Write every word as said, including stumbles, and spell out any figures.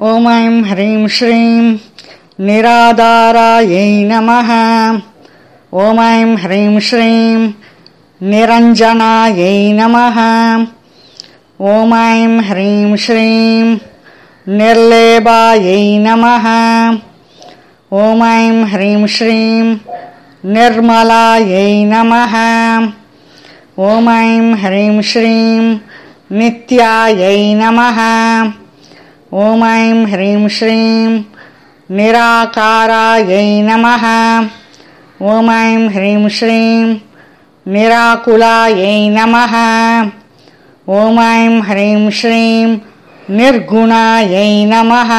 ॐ ऐं ह्रीं श्रीं निराधारायै नमः। ॐ ऐं ह्रीं श्रीं निरञ्जनायै नमः। ॐ ऐं ह्रीं श्रीं निर्लेपायै नमः। ॐ ऐं ह्रीं श्रीं निर्मलायै नमः। ॐ ऐं ह्रीं श्रीं नित्यायै नमः। ॐ ऐं ह्रीं श्रीं निराकारायै नमः। ॐ ऐं ह्रीं श्रीं निराकुलायै नमः। ॐ ऐं ह्रीं श्रीं निर्गुणायै नमः।